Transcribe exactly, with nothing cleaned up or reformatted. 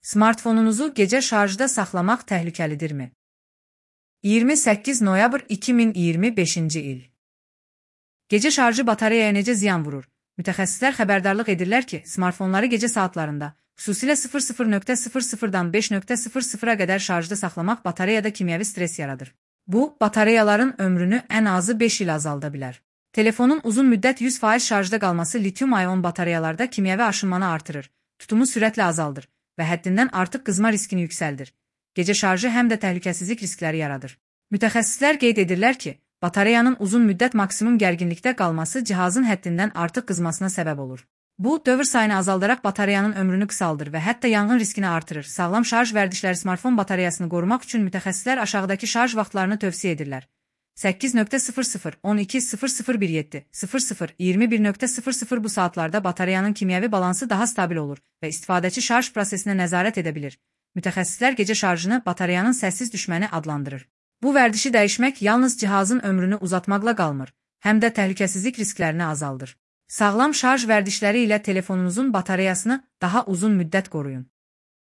Smartfonunuzu gecə şarjda saxlamaq təhlükəlidirmi? iyirmi səkkiz noyabr iki min iyirmi beşinci il. Gecə şarjı batareyaya necə ziyan vurur? Mütəxəssislər xəbərdarlıq edirlər ki, smartfonları gecə saatlarında, xüsusilə sıfır sıfır nöqtə sıfır sıfırdan beş nöqtə sıfır sıfıra qədər şarjda saxlamaq batareyada kimyəvi stres yaradır. Bu, batareyaların ömrünü ən azı beş il azalda bilər. Telefonun uzun müddət yüz faiz şarjda qalması lityum-ayon batareyalarda kimyəvi aşınmanı artırır, tutumu sürətlə azaldır və həddindən artıq qızma riskini yüksəldir. Gecə şarjı həm də təhlükəsizlik riskləri yaradır. Mütəxəssislər qeyd edirlər ki, batareyanın uzun müddət maksimum gərginlikdə qalması cihazın həddindən artıq qızmasına səbəb olur. Bu, dövr sayını azaldaraq batareyanın ömrünü qısaldır və hətta yanğın riskini artırır. Sağlam şarj vərdişləri smartfon batareyasını qorumaq üçün mütəxəssislər aşağıdakı şarj vaxtlarını tövsiyə edirlər. səkkiz nöqtə sıfır sıfır, on iki sıfır sıfır bir yeddi, sıfır sıfır, iyirmi bir nöqtə sıfır sıfır bu saatlarda batareyanın kimyəvi balansı daha stabil olur və istifadəçi şarj prosesinə nəzarət edə bilir. Mütəxəssislər gecə şarjını batareyanın səssiz düşməni adlandırır. Bu vərdişi dəyişmək yalnız cihazın ömrünü uzatmaqla qalmır, həm də təhlükəsizlik risklərini azaldır. Sağlam şarj vərdişləri ilə telefonunuzun batareyasını daha uzun müddət qoruyun.